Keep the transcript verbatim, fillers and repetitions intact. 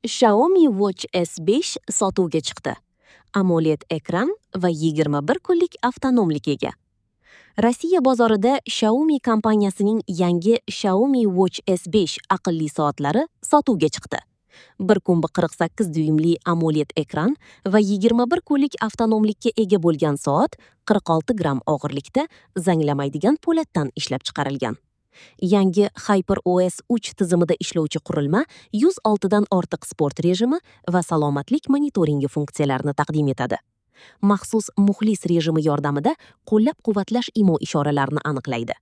Xiaomi Watch S besh sotuvga chiqdi. AMOLED ekran va yigirma bir kunlik avtonomlik ega. Rossiya bozorida Xiaomi kompaniyasining yangi Xiaomi Watch S besh aqlli soatlari sotuvga chiqdi. bir kun qirq sakkiz dyuymli AMOLED ekran va yigirma bir kunlik avtonomlikka ega bo'lgan soat qirq olti gramm og'irlikda zanglamaydigan po'latdan ishlab chiqarilgan. Yangi Hyper O S uch tizimida ishlovchi qurilma yuz oltidan ortiq sport rejimi va salomatlik monitoringi funksiyalarini taqdim etadi. Maxsus muxlis rejimi yordamida qo'llab-quvvatlash imo ishoralarini aniqlaydi.